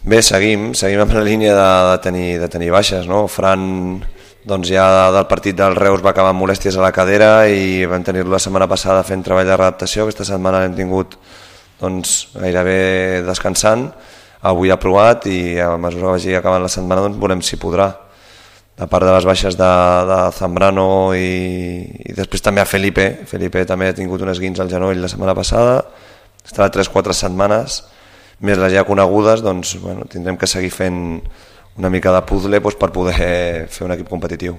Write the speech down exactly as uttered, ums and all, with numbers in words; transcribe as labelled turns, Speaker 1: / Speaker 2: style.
Speaker 1: Bé, seguim, seguim amb la línia de, de, tenir, de tenir baixes, no? Fran, doncs ja del partit del Reus va acabar amb molèsties a la cadera i vam tenir-lo la setmana passada fent treball de readaptació. Aquesta setmana l'hem tingut doncs, gairebé descansant, avui ha provat i a mesura que vagi acabant la setmana doncs, veurem si podrà. A part de les baixes de, de Zambrano i, i després també a Felipe, Felipe també ha tingut un esguins al genoll la setmana passada, estarà tres o quatre setmanes, més les ja conegudes, doncs bueno, tindrem que seguir fent una mica de puzzle doncs, per poder fer un equip competitiu.